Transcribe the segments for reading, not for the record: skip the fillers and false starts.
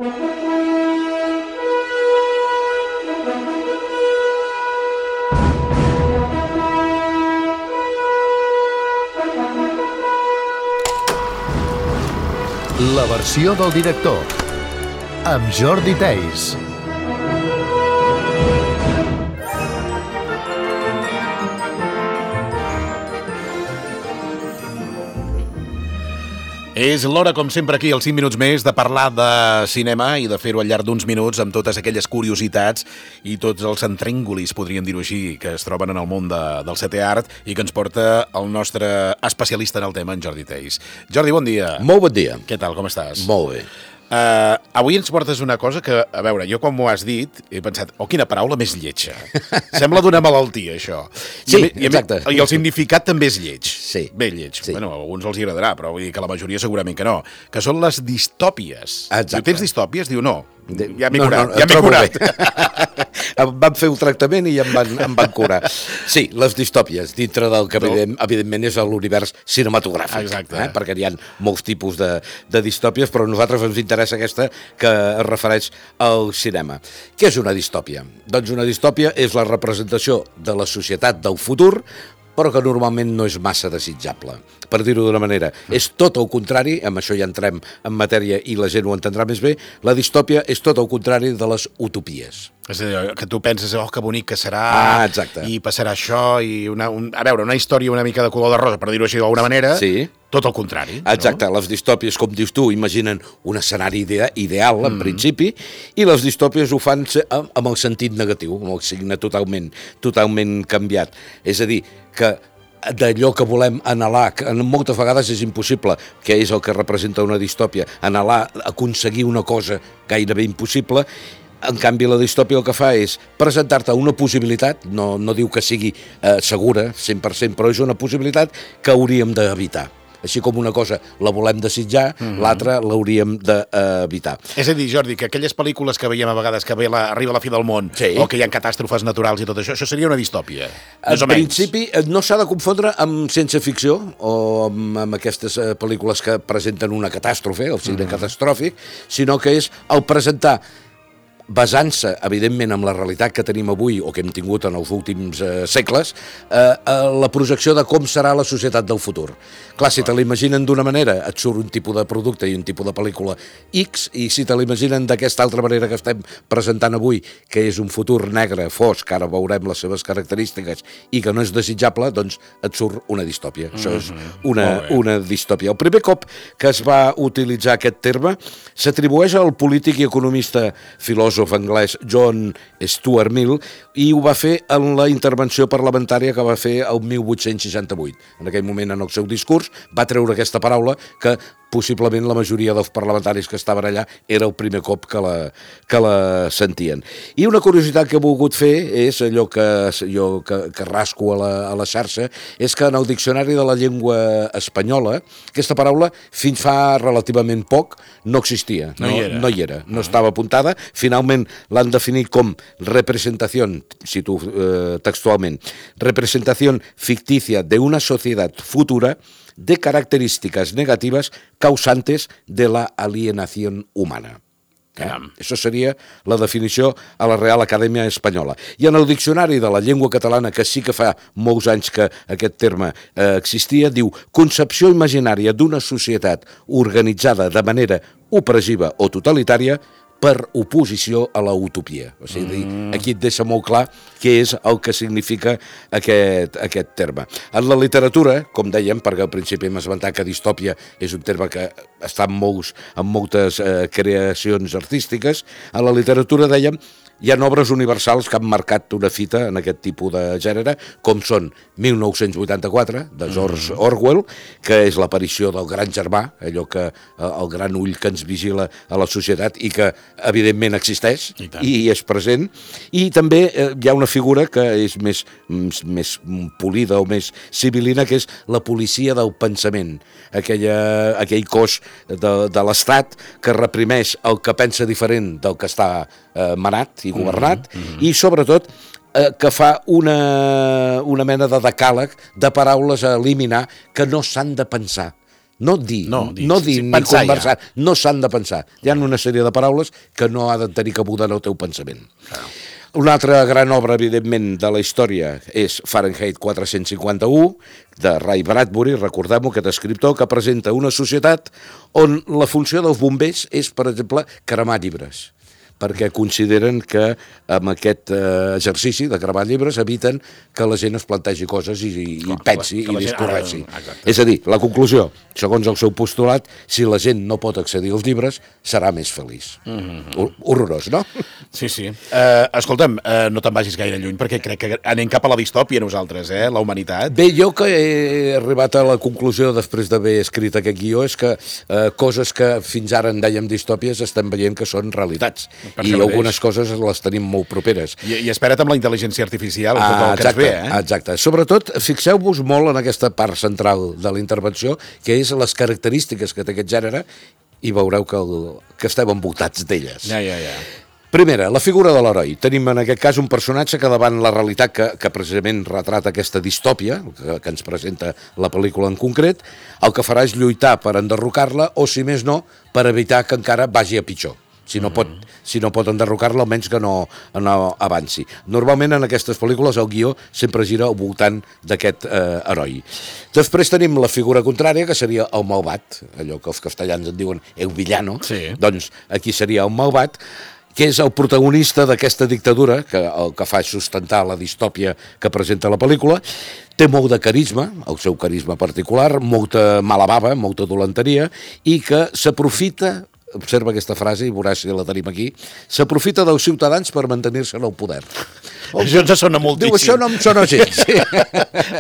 La versió del director, amb Jordi Theis. És l'hora, com sempre, aquí, als 5 minuts més, de parlar de cinema i de fer-ho al llarg d'uns minuts amb totes aquelles curiositats i tots els entríngolis, podríem dir-ho així, que es troben en el món del setè art i que ens porta el nostre especialista en el tema, en Jordi Theis. Jordi, bon dia. Molt bon dia. Què tal, com estàs? Molt bé. Avui ens portes una cosa que, a veure, jo quan m'ho has dit he pensat, quina paraula més lletja. Sembla d'una malaltia, això. Sí, exacte. I el significat també és lleig. Sí. Bé lleig. Sí. Bueno, a alguns els agradarà, però vull dir que la majoria segurament que no. Que són les distòpies. Exacte. Diu, tens distòpies? Diu, no. Ja m'he curat. Ja m'he curat. Em van fer un tractament i em van curar. Sí, les distòpies, dintre del que evidentment és l'univers cinematogràfic. Exacte. Perquè hi ha molts tipus de distòpies, però a nosaltres ens interessa aquesta que es refereix al cinema. Què és una distòpia? Doncs una distòpia és la representació de la societat del futur, però que normalment no és massa desitjable. Per dir-ho d'una manera, és tot el contrari, amb això ja entrem en matèria i la gent ho entendrà més bé, la distòpia és tot el contrari de les utopies. És a dir, que tu penses, que bonic que serà, exacte. I passarà això, i una història una mica de color de rosa, per dir-ho així d'alguna manera, sí. Tot el contrari. Exacte, no? Les distòpies, com dius tu, imaginen un escenari ideal, en principi, i les distòpies ho fan amb el sentit negatiu, amb el signe totalment canviat. És a dir, que d'allò que volem anhelar, que moltes vegades és impossible, que és el que representa una distòpia, anhelar, aconseguir una cosa gairebé impossible. En canvi, la distòpia el que fa és presentar-te una possibilitat, no diu que sigui segura, 100%, però és una possibilitat que hauríem d'evitar. Així com una cosa la volem desitjar, l'altra l'hauríem d'evitar. És a dir, Jordi, que aquelles pel·lícules que veiem a vegades que arriba la fi del món, sí, o que hi ha catàstrofes naturals i tot això seria una distòpia, més o menys. En principi, no s'ha de confondre amb ciència-ficció o amb aquestes pel·lícules que presenten una catàstrofe, el cine catastròfic, sinó que és el presentar, basant-se, evidentment, en la realitat que tenim avui o que hem tingut en els últims segles, la projecció de com serà la societat del futur. Clar, si te l'imaginen d'una manera, et surt un tipus de producte i un tipus de pel·lícula X, i si te l'imaginen d'aquesta altra manera que estem presentant avui, que és un futur negre, fosc, ara veurem les seves característiques, i que no és desitjable, doncs et surt una distòpia. Això és una distòpia. El primer cop que es va utilitzar aquest terme s'atribueix al polític i economista filòsof anglès John Stuart Mill, i ho va fer en la intervenció parlamentària que va fer el 1868. En aquell moment, en el seu discurs, va treure aquesta paraula que possiblement la majoria dels parlamentaris que estaven allà era el primer cop que la sentien. I una curiositat que he volgut fer és allò que rasco a la xarxa, és que en el diccionari de la llengua espanyola aquesta paraula fins fa relativament poc no existia, no hi era, no estava apuntada. Finalment l'han definit com representació, cito textualment, representació ficticia de una societat futura de características negativas causantes de la alienación humana. Això seria la definició a la Real Acadèmia Espanyola. I en el diccionari de la llengua catalana, que sí que fa molts anys que aquest terme existia, diu concepció imaginària d'una societat organitzada de manera opressiva o totalitària per oposició a la utopia. O sigui, aquí et deixa molt clar què és el que significa aquest terme. En la literatura, com dèiem, perquè al principi hem esmentat que distòpia és un terme que està en moltes creacions artístiques, en la literatura, dèiem, hi ha obres universals que han marcat una fita en aquest tipus de gènere, com són 1984, de George Orwell, que és l'aparició del gran germà, allò que el gran ull que ens vigila a la societat i que evidentment existeix i és present. I també hi ha una figura que és més polida o més civilina, que és la policia del pensament, aquell cos de l'Estat que reprimeix el que pensa diferent del que està manat i governat, i sobretot que fa una mena de decàleg de paraules a eliminar que no s'han de pensar. no dir sí, ni pensar conversar, no s'han de pensar. Hi ha una sèrie de paraules que no ha de tenir cabuda en el teu pensament. Una altra gran obra, evidentment, de la història és Fahrenheit 451, de Ray Bradbury, recordem-ho, aquest escriptor, que presenta una societat on la funció dels bombers és, per exemple, cremar llibres, perquè consideren que amb aquest exercici de cremar llibres eviten que la gent es plantegi coses i pensi i discorreixi. És a dir, la conclusió, segons el seu postulat, si la gent no pot accedir als llibres, serà més feliç. Horrorós, no? Sí. Escolta'm, no te'n vagis gaire lluny, perquè crec que anem cap a la distòpia nosaltres, la humanitat. Bé, jo que he arribat a la conclusió després d'haver escrit aquest guió és que coses que fins ara en dèiem distòpies estem veient que són realitats. I algunes coses les tenim molt properes. I espera't amb la intel·ligència artificial, tot el que ens ve, Exacte. Sobretot, fixeu-vos molt en aquesta part central de la intervenció, que és les característiques que té aquest gènere, i veureu que estem envoltats d'elles. Ja. Primera, la figura de l'heroi. Tenim en aquest cas un personatge que davant la realitat que precisament retrata aquesta distòpia, que ens presenta la pel·lícula en concret, el que farà és lluitar per enderrocar-la o, si més no, per evitar que encara vagi a pitjor. Si no pot enderrocar-la, almenys que no avanci. Normalment en aquestes pel·lícules el guió sempre gira al voltant d'aquest heroi. Després tenim la figura contrària, que seria el malvat, allò que els castellans en diuen el villano, doncs aquí seria el malvat, que és el protagonista d'aquesta dictadura, que el que fa és sustentar la distòpia que presenta la pel·lícula. Té molt de carisma, el seu carisma particular, molta mala bava, molta dolenteria, i que s'aprofita, observa aquesta frase i veuràs si la tenim aquí, s'aprofita dels ciutadans per mantenir-se en el poder. Això ens sona moltíssim. Diu, això no em sona gens. Sí.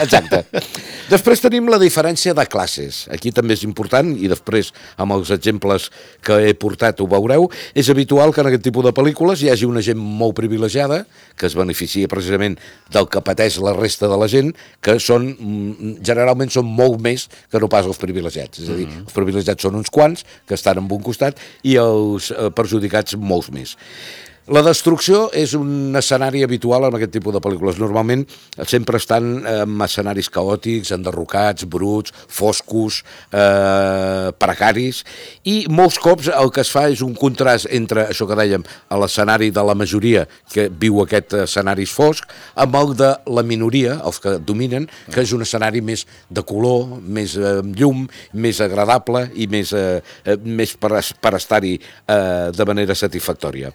Exacte. Després tenim la diferència de classes. Aquí també és important, i després amb els exemples que he portat ho veureu, és habitual que en aquest tipus de pel·lícules hi hagi una gent molt privilegiada, que es beneficia precisament del que pateix la resta de la gent, que generalment són molt més que no pas els privilegiats. És a dir, els privilegiats són uns quants, que estan en un costat, i els perjudicats molts més. La destrucció és un escenari habitual en aquest tipus de pel·lícules. Normalment sempre estan en escenaris caòtics, enderrocats, bruts, foscos, precaris, i molts cops el que es fa és un contrast entre això que dèiem, l'escenari de la majoria que viu aquest escenari fosc, amb el de la minoria, els que dominen, que és un escenari més de color, més llum, més agradable i més per estar-hi de manera satisfactòria.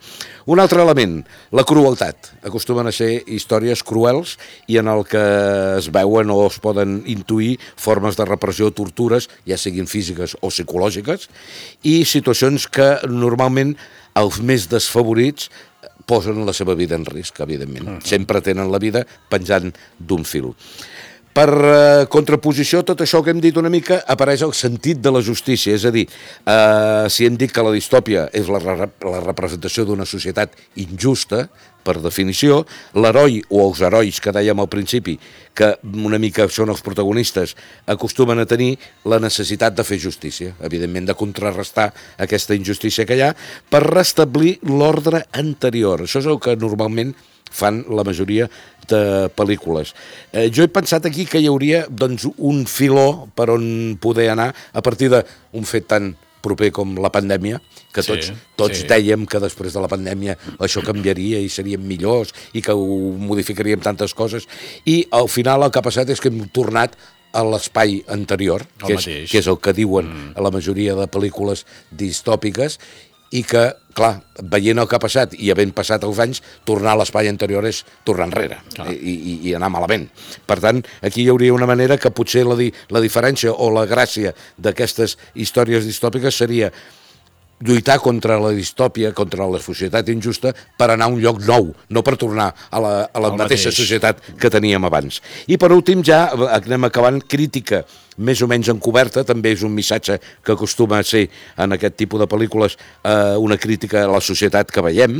Un altre element, la crueltat. Acostumen a ser històries cruels i en el que es veuen o es poden intuir formes de repressió, tortures, ja siguin físiques o psicològiques, i situacions que normalment els més desfavorits posen la seva vida en risc, evidentment. Sempre tenen la vida penjant d'un fil. Per contraposició, tot això que hem dit una mica, apareix el sentit de la justícia, és a dir, si hem dit que la distòpia és la representació d'una societat injusta, per definició, l'heroi o els herois que dèiem al principi, que una mica són els protagonistes, acostumen a tenir la necessitat de fer justícia, evidentment de contrarrestar aquesta injustícia que hi ha, per restablir l'ordre anterior. Això és el que normalment fan la majoria de pel·lícules. Jo he pensat aquí que hi hauria un filó per on poder anar a partir d'un fet tan proper com la pandèmia, que tots dèiem que després de la pandèmia això canviaria i seríem millors i que ho modificaríem tantes coses, i al final el que ha passat és que hem tornat a l'espai anterior, que és el que diuen a la majoria de pel·lícules distòpiques, i que, clar, veient el que ha passat i havent passat els anys, tornar a l'espai anterior és tornar enrere i anar malament. Per tant, aquí hi hauria una manera que potser la diferència o la gràcia d'aquestes històries distòpiques seria lluitar contra la distòpia, contra la societat injusta, per anar a un lloc nou, no per tornar a la mateixa societat que teníem abans. I per últim ja anem acabant, crítica més o menys encoberta, també és un missatge que acostuma a ser en aquest tipus de pel·lícules una crítica a la societat que veiem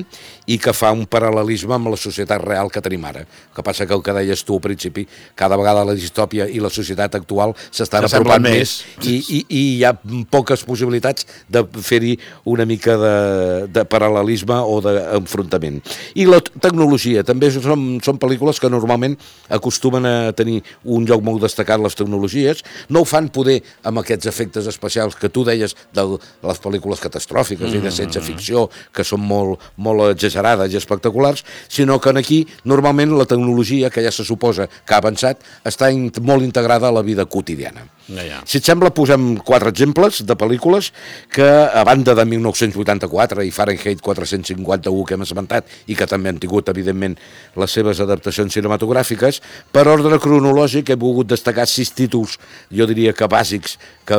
i que fa un paral·lelisme amb la societat real que tenim ara. El que passa que el que deies tu al principi, cada vegada la distòpia i la societat actual s'estan apropant més i hi ha poques possibilitats de fer-hi una mica de paral·lelisme o d'enfrontament. I la tecnologia, també són pel·lícules que normalment acostumen a tenir un lloc molt destacat les tecnologies, no ho fan poder amb aquests efectes especials que tu deies de les pel·lícules catastròfiques i de ciència ficció, que són molt, molt exagerades i espectaculars, sinó que aquí normalment la tecnologia, que ja se suposa que ha avançat, està molt integrada a la vida quotidiana. Ja. Si et sembla, posem 4 exemples de pel·lícules que, a banda de 1984 i Fahrenheit 451 que hem esmentat i que també han tingut, evidentment, les seves adaptacions cinematogràfiques, per ordre cronològic he volgut destacar 6 títols, jo diria que bàsics, que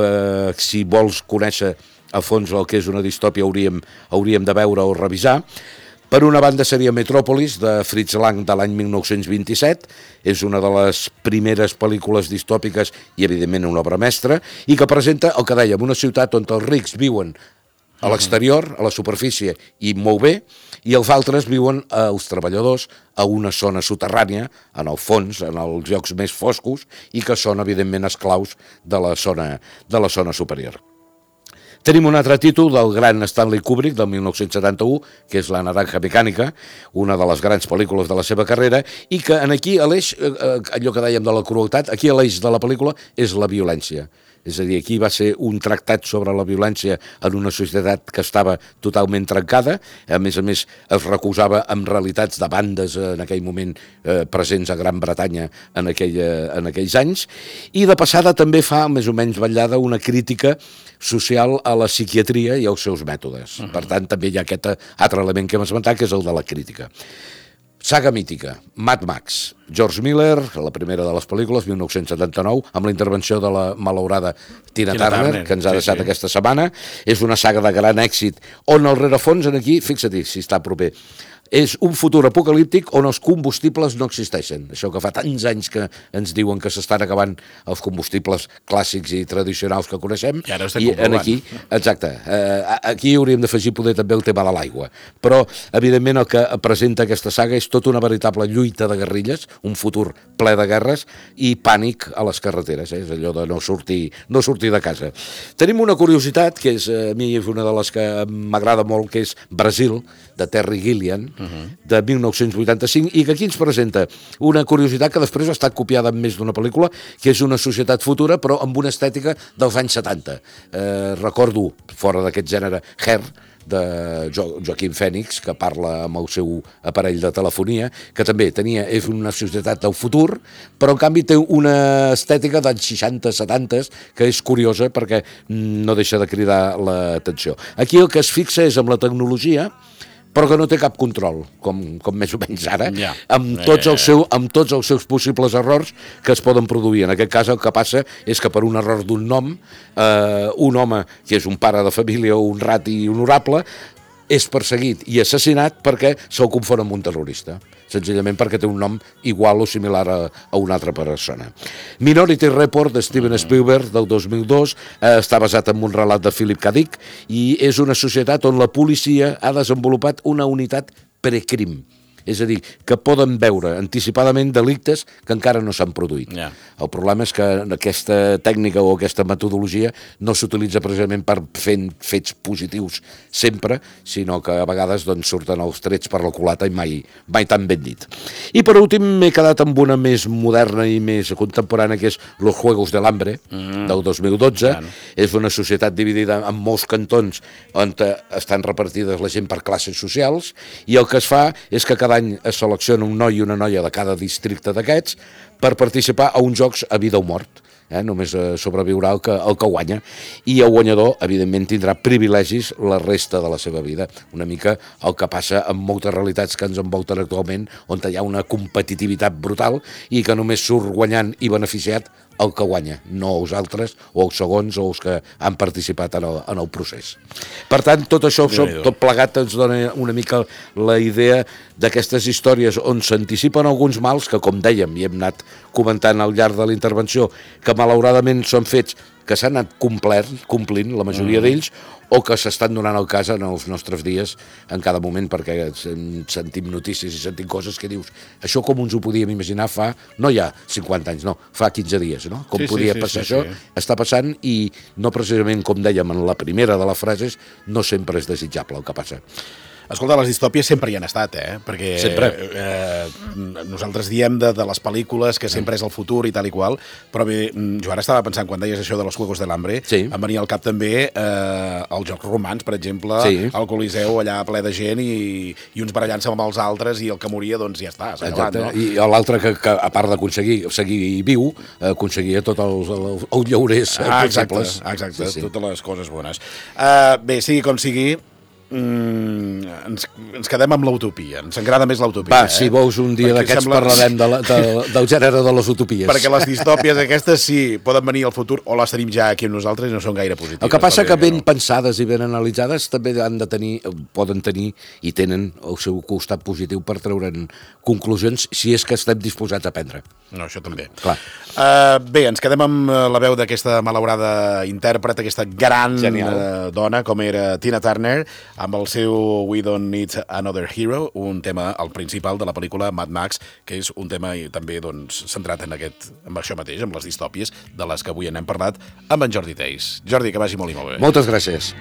si vols conèixer a fons el que és una distòpia hauríem de veure o revisar. Per una banda seria Metròpolis, de Fritz Lang, de l'any 1927. És una de les primeres pel·lícules distòpiques i, evidentment, una obra mestra, i que presenta el que dèiem, una ciutat on els rics viuen a l'exterior, a la superfície, i molt bé, i els altres viuen, els treballadors, a una zona soterrània, en el fons, en els llocs més foscos, i que són, evidentment, esclaus de la zona superior. Tenim un altre títol del gran Stanley Kubrick, del 1971, que és La naranja mecànica, una de les grans pel·lícules de la seva carrera, i que aquí l'eix, allò que dèiem de la crueltat, aquí l'eix de la pel·lícula és la violència. És a dir, aquí va ser un tractat sobre la violència en una societat que estava totalment trencada, a més, es recusava amb realitats de bandes en aquell moment presents a Gran Bretanya en aquells anys, i de passada també fa, més o menys vetllada, una crítica social a la psiquiatria i als seus mètodes. Per tant, també hi ha aquest altre element que hem esmentat, que és el de la crítica. Saga mítica, Mad Max, George Miller, la primera de les pel·lícules, 1979, amb la intervenció de la malaurada Tina Turner, que ens ha deixat aquesta setmana. És una saga de gran èxit, on el rerefons aquí, fixa't si està proper, és un futur apocalíptic on els combustibles no existeixen. Això que fa tants anys que ens diuen que s'estan acabant els combustibles clàssics i tradicionals que coneixem. I ara ho estem comprovant. Aquí, exacte, aquí hauríem d'afegir poder també el tema de l'aigua. Però, evidentment, el que presenta aquesta saga és tota una veritable lluita de guerrilles, un futur ple de guerres i pànic a les carreteres. És allò de no sortir de casa. Tenim una curiositat, que és, a mi és una de les que m'agrada molt, que és Brasil, de Terry Gilliam, de 1985, i que aquí ens presenta una curiositat que després ha estat copiada en més d'una pel·lícula, que és una societat futura, però amb una estètica dels anys 70. Recordo, fora d'aquest gènere, Her, de Joaquim Fènix, que parla amb el seu aparell de telefonia, que també és una societat del futur, però en canvi té una estètica dels 60-70, que és curiosa perquè no deixa de cridar l'atenció. Aquí el que es fixa és amb la tecnologia, però que no té cap control, com més o menys ara, amb tots els seus possibles errors que es poden produir. En aquest cas el que passa és que per un error d'un nom, un home que és un pare de família o un rati honorable, és perseguit i assassinat perquè se'l confon amb un terrorista, senzillament perquè té un nom igual o similar a una altra persona. Minority Report, de Steven Spielberg, del 2002, està basat en un relat de Philip K. Dick i és una societat on la policia ha desenvolupat una unitat precrim. És a dir, que poden veure anticipadament delictes que encara no s'han produït. El problema és que aquesta tècnica o aquesta metodologia no s'utilitza precisament per fer fets positius sempre, sinó que a vegades surten els trets per la culata i mai tan ben dit. I per últim m'he quedat amb una més moderna i més contemporània, que és Los Juegos del Hambre, del 2012. És una societat dividida en molts cantons on estan repartides la gent per classes socials, i el que es fa és que cada any es selecciona un noi i una noia de cada districte d'aquests per participar a uns jocs a vida o mort. Només sobreviurà el que guanya, i el guanyador evidentment tindrà privilegis la resta de la seva vida. Una mica el que passa amb moltes realitats que ens envolten actualment, on hi ha una competitivitat brutal i que només surt guanyant i beneficiat el que guanya, no els altres o els segons o els que han participat en el procés. Per tant, tot això, tot plegat, ens dona una mica la idea d'aquestes històries on s'anticipen alguns mals que, com dèiem i hem anat comentant al llarg de la intervenció, que malauradament són fets que s'han anat complint la majoria d'ells, o que s'estan donant el cas en els nostres dies en cada moment, perquè sentim notícies i sentim coses que dius, això com ens ho podíem imaginar fa, no ja 50 anys, no, fa 15 dies, no? Com podia passar això? Està passant, i no precisament, com dèiem en la primera de les frases, no sempre és desitjable el que passa. Escolta, les distòpies sempre hi han estat, perquè nosaltres diem de les pel·lícules que sempre és el futur i tal i qual, però bé, jo ara estava pensant, quan deies això de los Juegos del Hambre, em venia al cap també els Jocs Romans, per exemple, al Coliseu allà ple de gent i uns barallant-se amb els altres, i el que moria, doncs ja està, s'ha acabat, no? I l'altre que a part d'aconseguir seguir viu, aconseguia tots els llaurers possibles. Exacte, totes les coses bones. Bé, sigui com sigui, ens quedem amb l'utopia, ens agrada més l'utopia. Va, si vols un dia d'aquests parlarem del gènere de les utopies. Perquè les distòpies aquestes sí, poden venir al futur, o les tenim ja aquí amb nosaltres i no són gaire positives. El que passa que ben pensades i ben analitzades també han de tenir, poden tenir i tenen el seu costat positiu per treure'n conclusions, si és que estem disposats a prendre. No, això també. Clar. Bé, ens quedem amb la veu d'aquesta malaurada intèrpret, aquesta gran dona com era Tina Turner, amb el seu We Don't Need Another Hero, un tema, el principal de la pel·lícula Mad Max, que és un tema també centrat en això mateix, amb les distòpies, de les que avui n'hem parlat, amb en Jordi Theis. Jordi, que vagi molt i molt bé. Moltes gràcies.